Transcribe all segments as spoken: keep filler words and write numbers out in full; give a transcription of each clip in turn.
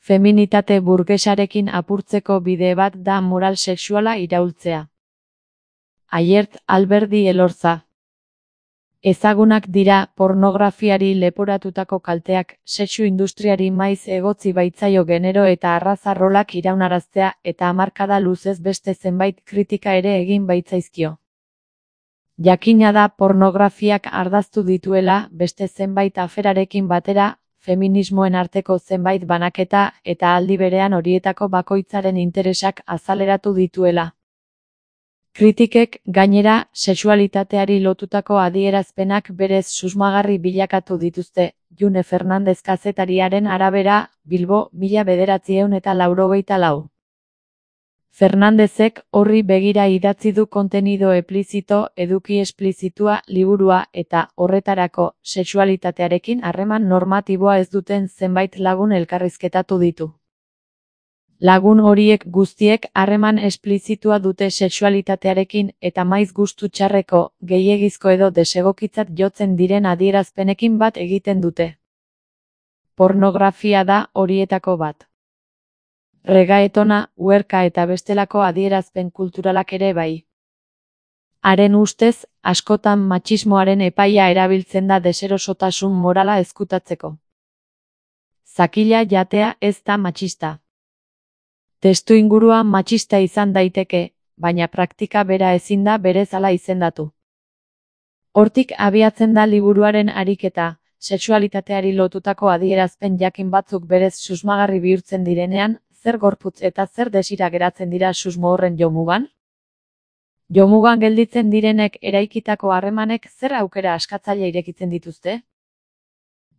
Feminitate burgesarekin apurtzeko bide bat da moral sexuala iraultzea. Aiert Alberdi Elorza. Ezagunak dira pornografiari leporatutako kalteak, sexu industriari maiz egotzi baitzaio genero eta arraza rolak iraunaraztea eta hamarkada luzez beste zenbait kritika ere egin baitzaizkio. Jakina da pornografiak ardaztu dituela beste zenbait aferarekin batera, feminismoen arteko zenbait banaketa eta aldi berean horietako bakoitzaren interesak azaleratu dituela. Kritikek, gainera, sexualitateari lotutako adierazpenak berez susmagarri bilakatu dituzte, June Fernandez kazetariaren arabera, Bilbo, mila bederatziehun eta laurogeita lau. Fernandezek horri begira idatzi du Kontenido Eplizito, eduki esplizitua liburua eta horretarako sexualitatearekin harreman normatiboa ez duten zenbait lagun elkarrizketatu ditu. Lagun horiek guztiek harreman esplizitua dute sexualitatearekin eta maiz gustu txarreko, gehiegizko edo desegokitzat jotzen diren adierazpenekin bat egiten dute. Pornografia da horietako bat. Regaetona, uherka eta bestelako adierazpen kulturalak ere bai. Haren ustez, askotan matxismoaren epaia erabiltzen da deserosotasun morala ezkutatzeko. Zakila jatea ez da matxista. Testuingurua matxista izan daiteke, baina praktika bera ezin da berezala izendatu. Hortik abiatzen da liburuaren ariketa, sexualitateari lotutako adierazpen jakin batzuk berez susmagarri bihurtzen direnean, zer gorputz eta zer desira geratzen dira susmo horren jomugan? Jomugan gelditzen direnek eraikitako harremanek zer aukera askatzaile irekitzen dituzte?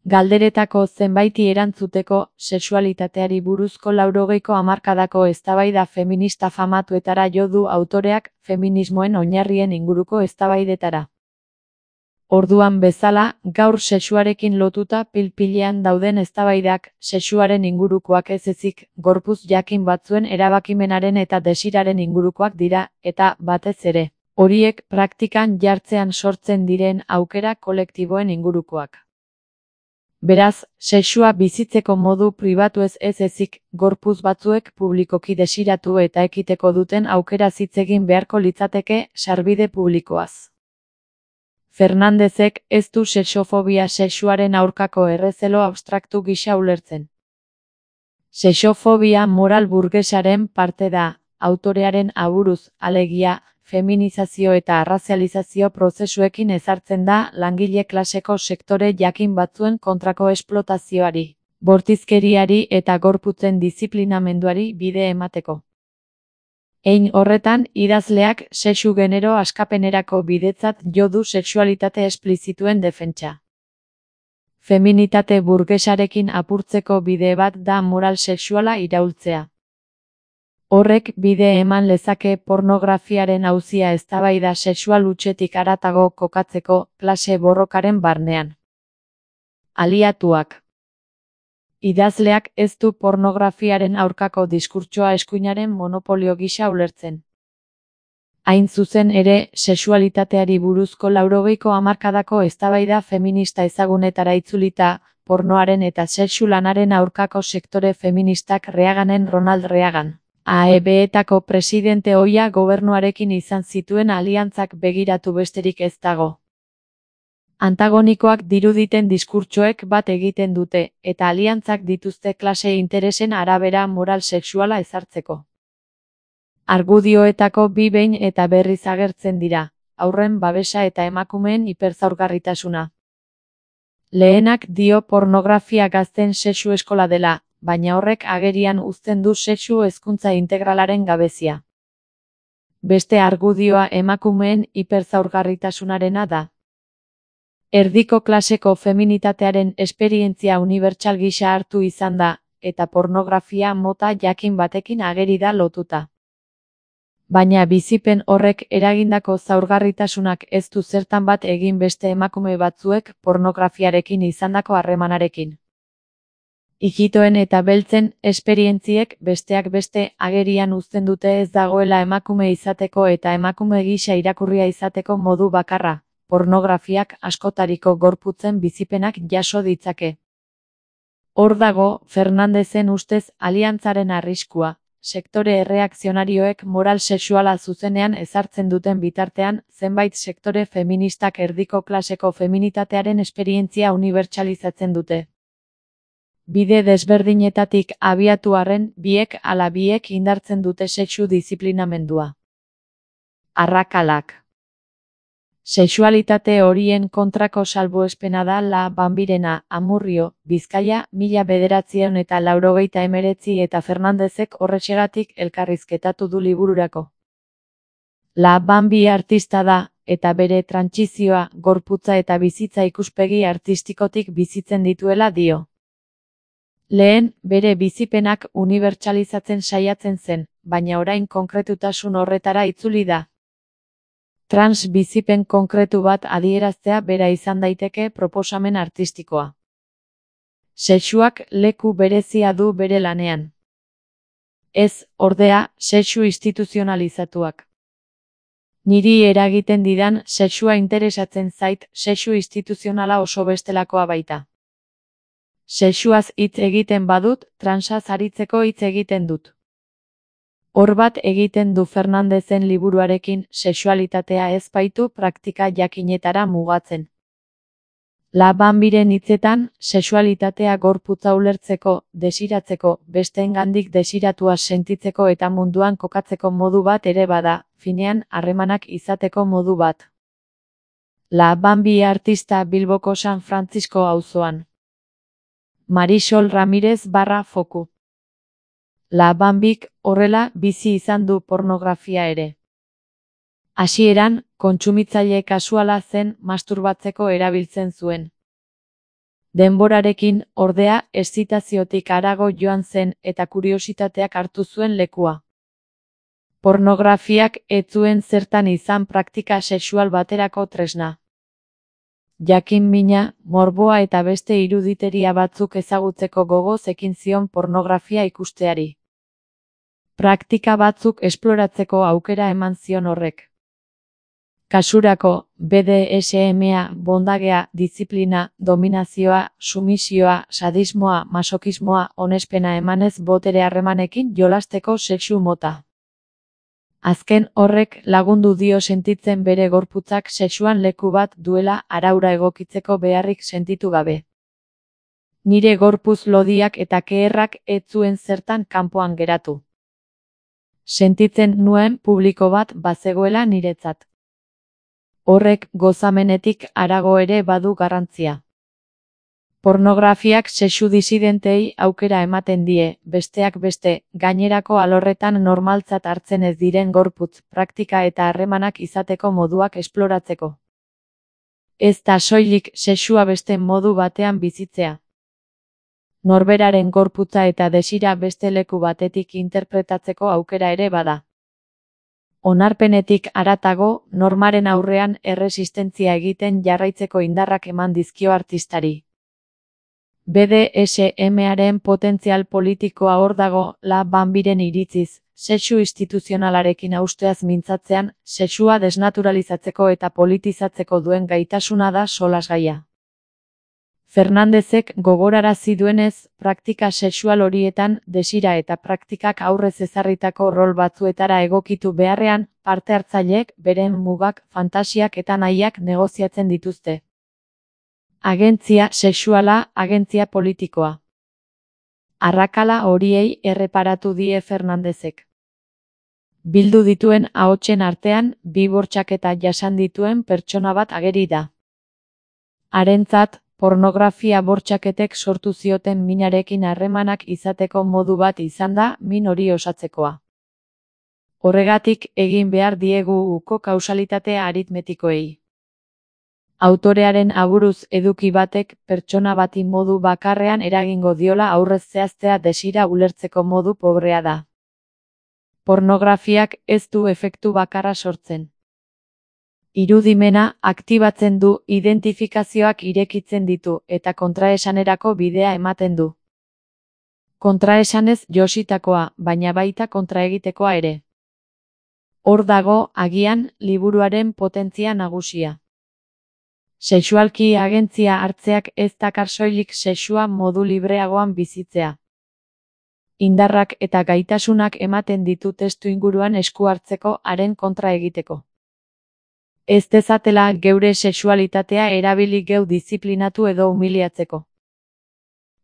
Galderetako zenbaiti erantzuteko, sexualitateari buruzko laurogeiko hamarkadako eztabaida feminista famatuetara jo du autoreak feminismoen oinarrien inguruko eztabaidetara. Orduan bezala, gaur sexuarekin lotuta pil-pilean dauden eztabaidak, sexuaren ingurukoak ez ezik, gorputz jakin batzuen erabakimenaren eta desiraren ingurukoak dira, eta, batez ere, horiek praktikan jartzean sortzen diren aukera kolektiboen ingurukoak. Beraz, sexua bizitzeko modu pribatuez ez ezik, gorputz batzuek publikoki desiratu eta ekiteko duten aukera hitz egin beharko litzateke sarbide publikoaz. Fernandezek ez du sexofobia sexuaren aurkako errezelo abstraktu gisa ulertzen. Sexofobia moral burgesaren parte da, autorearen aburuz, alegia, feminizazio eta arrazializazio prozesuekin ezartzen da langile klaseko sektore jakin batzuen kontrako esplotazioari, bortizkeriari eta gorputzen diziplinamenduari bide emateko. Hein horretan, idazleak sexu genero askapenerako bidetzat jo du sexualitate esplizituen defentsa. Feminitate burgesarekin apurtzeko bide bat da moral sexuala iraultzea. Horrek bide eman lezake pornografiaren auzia eztabaida sexual hutsetik haratago kokatzeko klase borrokaren barnean. Aliatuak. Idazleak ez du pornografiaren aurkako diskurtsoa eskuinaren monopolio gisa ulertzen. Hain zuzen ere, sexualitateari buruzko laurogeiko hamarkadako eztabaida feminista ezagunetara itzulita, pornoaren eta sexu lanaren aurkako sektore feministak Reaganen Ronald Reagan. A E B-etako presidente ohia gobernuarekin izan zituen aliantzak begiratu besterik ez dago. Antagonikoak diruditen diskurtsoek bat egiten dute, eta aliantzak dituzte klase interesen arabera moral sexuala ezartzeko. Argudioetako bi behin eta berriz agertzen dira, haurren babesa eta emakumeen hiperzaurgarritasuna. Lehenak dio pornografia gazten sexu eskola dela, baina horrek agerian uzten du sexu hezkuntza integralaren gabezia. Beste argudioa emakumeen hiperzaurgarritasunarena da. Erdiko klaseko feminitatearen esperientzia unibertsal gisa hartu izan da, eta pornografia mota jakin batekin ageri da lotuta. Baina bizipen horrek eragindako zaurgarritasunak ez du zertan bat egin beste emakume batzuek pornografiarekin izandako harremanarekin. Ikitoen eta beltzen esperientziek besteak beste agerian uzten dute ez dagoela emakume izateko eta emakume gisa irakurria izateko modu bakarra, pornografiak askotariko gorputzen bizipenak jaso ditzake. Hor dago Fernandezen ustez aliantzaren arriskua, sektore erreakzionarioek moral sexuala zuzenean ezartzen duten bitartean, zenbait sektore feministak erdiko klaseko feminitatearen esperientzia unibertsalizatzen dute. Bide desberdinetatik abiatu arren, biek ala biek indartzen dute sexu disiplinamendua. Arrakalak. Sexualitate horien kontrako salbuespena da La Bambirena, Amurrio, Bizkaia, mila bederatziehun eta laurogeita hemeretzi eta Fernandezek horrexegatik elkarrizketatu du libururako. La Bambi artista da, eta bere trantsizioa, gorputza eta bizitza ikuspegi artistikotik bizitzen dituela dio. Lehen, bere bizipenak unibertsalizatzen saiatzen zen, baina orain konkretutasun horretara itzuli da. Trans bizipen konkretu bat adieraztea bera izan daiteke proposamen artistikoa. Sexuak leku berezia du bere lanean. Ez, ordea, sexu instituzionalizatuak. Niri eragiten didan sexua interesatzen zait, sexu instituzionala oso bestelakoa baita. Sexuaz hitz egiten badut, transaz aritzeko hitz egiten dut. Hor bat egiten du Fernandezen liburuarekin, sexualitatea ez baitu praktika jakinetara mugatzen. La Bambiren hitzetan, sexualitatea gorputza ulertzeko, desiratzeko, besteengandik desiratua sentitzeko eta munduan kokatzeko modu bat ere bada, finean harremanak izateko modu bat. La Bambi artista Bilboko San Francisco auzoan. Marisol Ramirez barra foku. La Bambik, horrela, bizi izan du pornografia ere. Hasieran, kontsumitzaile kasuala zen masturbatzeko erabiltzen zuen. Denborarekin, ordea,eszitaziotik harago joan zen eta kuriositateak hartu zuen lekua. Pornografiak ez zuen zertan izan praktika sexual baterako tresna. Jakin mina, morboa eta beste iruditeria batzuk ezagutzeko gogoz ekin zion pornografia ikusteari. Praktika batzuk esploratzeko aukera eman zion horrek. Kasurako, B D S M-a, bondagea, diziplina, dominazioa, sumisioa, sadismoa, masokismoa, onespena emanez botere harremanekin jolasteko sexu mota. Azken horrek lagundu dio sentitzen bere gorputzak sexuan leku bat duela araura egokitzeko beharrik sentitu gabe. Nire gorpuz lodiak eta keherrak ez zuen zertan kanpoan geratu. Sentitzen nuen publiko bat bazegoela niretzat. Horrek gozamenetik harago ere badu garrantzia. Pornografiak sexu disidentei aukera ematen die, besteak beste, gainerako alorretan normaltzat hartzen ez diren gorputz, praktika eta harremanak izateko moduak esploratzeko. Ez da soilik sexua beste modu batean bizitzea. Norberaren gorputza eta desira beste leku batetik interpretatzeko aukera ere bada. Onarpenetik haratago, normaren aurrean erresistentzia egiten jarraitzeko indarrak eman dizkio artistari. B D S M-aren potentzial politikoa hor dago, La Bambiren iritziz, sexu instituzionalarekin hausteaz mintzatzean, sexua desnaturalizatzeko eta politizatzeko duen gaitasuna da solasgaia. Fernandezek gogorarazi duenez, praktika sexual horietan, desira eta praktikak aurrez ezarritako rol batzuetara egokitu beharrean, parte hartzaileek beren mugak, fantasiak eta nahiak negoziatzen dituzte. Agentzia sexuala, agentzia politikoa. Arrakala horiei erreparatu die Fernandezek. Bildu dituen ahotsen artean, bi bortxaketa jasan dituen pertsona bat ageri da. Harentzat, pornografia bortxaketek sortu zioten minarekin harremanak izateko modu bat izan da min hori osatzekoa. Horregatik egin behar diegu uko kausalitate aritmetikoei. Autorearen aburuz eduki batek pertsona bati modu bakarrean eragingo diola aurrez zehaztea desira ulertzeko modu pobrea da. Pornografiak ez du efektu bakarra sortzen. Irudimena aktibatzen du, identifikazioak irekitzen ditu eta kontraesanerako bidea ematen du. Kontraesanez jositakoa, baina baita kontraegitekoa ere. Hor dago, agian, liburuaren potentzia nagusia. Sexualki agentzia hartzeak ez dakar soilik sexua modu libreagoan bizitzea. Indarrak eta gaitasunak ematen ditu testuinguruan esku hartzeko haren kontra egiteko. Ez dezatela geure sexualitatea erabili geu diziplinatu edo humiliatzeko.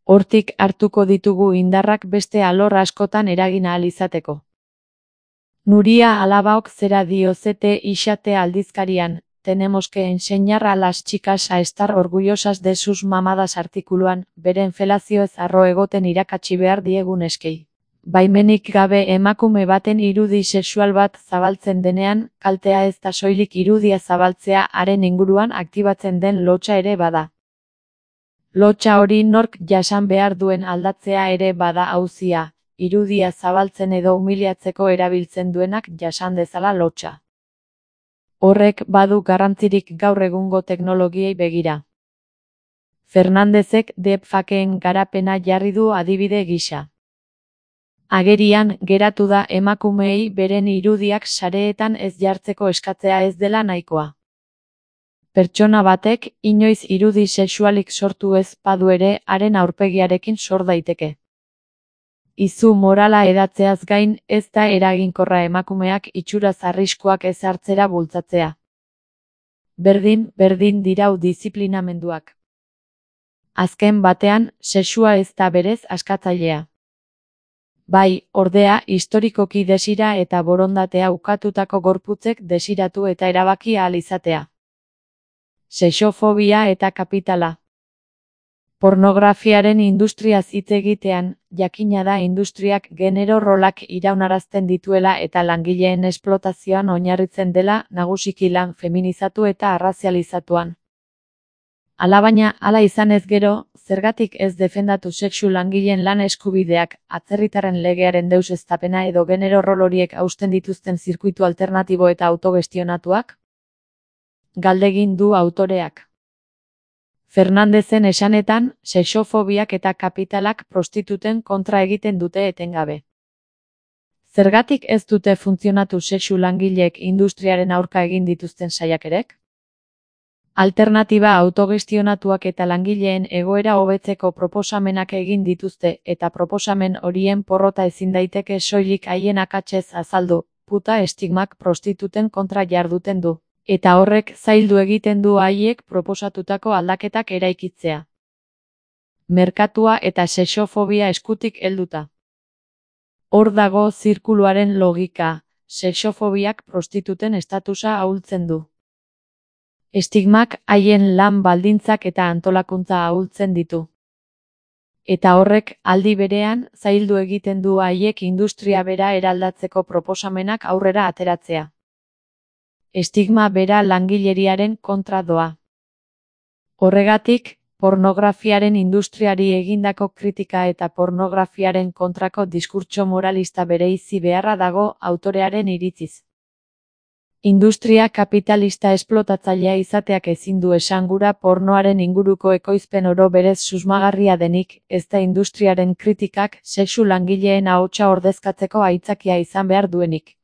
Hortik hartuko ditugu indarrak beste alor askotan eragin ahal izateko. Nuria Alabaok zera dio zete ixate aldizkarian, tenemos que enseñar a las chicas a estar orgullosas de sus mamadas artikuluan, beren felazioez harro egoten irakatsi behar diegun eskei. Baimenik gabe emakume baten irudi sexual bat zabaltzen denean, kaltea ez da soilik irudia zabaltzea haren inguruan aktibatzen den lotsa ere bada. Lotsa hori nork jasan behar duen aldatzea ere bada auzia, irudia zabaltzen edo humiliatzeko erabiltzen duenak jasan dezala lotsa. Horrek badu garrantzirik gaur egungo teknologiei begira. Fernandezek deepfakeen garapena jarri du adibide gisa. Agerian geratu da emakumeei beren irudiak sareetan ez jartzeko eskatzea ez dela nahikoa. Pertsona batek inoiz irudi sexualik sortu ez badu ere haren aurpegiarekin sor daiteke. Izu morala edatzeaz gain ez da eraginkorra emakumeak itxuraz arriskuak ez hartzera bultzatzea. Berdin, berdin dirau diziplinamenduak. Azken batean, sexua ez da berez askatzailea. Bai, ordea, historikoki desira eta borondatea ukatutako gorputzek desiratu eta erabaki ahal izatea. Sexofobia eta kapitala. Pornografiaren industriaz hitz egitean, jakina da industriak genero rolak iraunarazten dituela eta langileen esplotazioan oinarritzen dela nagusiki lan feminizatu eta arrazializatuan. Alabaina, hala izanez gero, zergatik ez defendatu sexu langileen lan eskubideak, atzerritarren legearen deuseztapena edo genero rol horiek hausten dituzten zirkuitu alternatibo eta autogestionatuak? Galdegin du autoreak. Fernandezen esanetan, sexofobiak eta kapitalak prostituten kontra egiten dute etengabe. Zergatik ez dute funtzionatu sexu langileek industriaren aurka egin dituzten saiakerek? Alternatiba autogestionatuak eta langileen egoera hobetzeko proposamenak egin dituzte eta proposamen horien porrota ezin daiteke soilik haien akatsez azaldu, puta estigmak prostituten kontra jarduten du. Eta horrek zaildu egiten du haiek proposatutako aldaketak eraikitzea. Merkatua eta sexofobia eskutik helduta. Hor dago zirkuluaren logika, sexofobiak prostituten estatusa ahultzen du. Estigmak haien lan baldintzak eta antolakuntza ahultzen ditu. Eta horrek aldi berean zaildu egiten du haiek industria bera eraldatzeko proposamenak aurrera ateratzea. Estigma bera langileriaren kontra doa. Horregatik, pornografiaren industriari egindako kritika eta pornografiaren kontrako diskurtso moralista bereizi beharra dago autorearen iritziz. Industria kapitalista esplotatzailea izateak ezin du esangura pornoaren inguruko ekoizpen oro berez susmagarria denik, ez da industriaren kritikak sexu langileen ahotsa ordezkatzeko aitzakia izan behar duenik.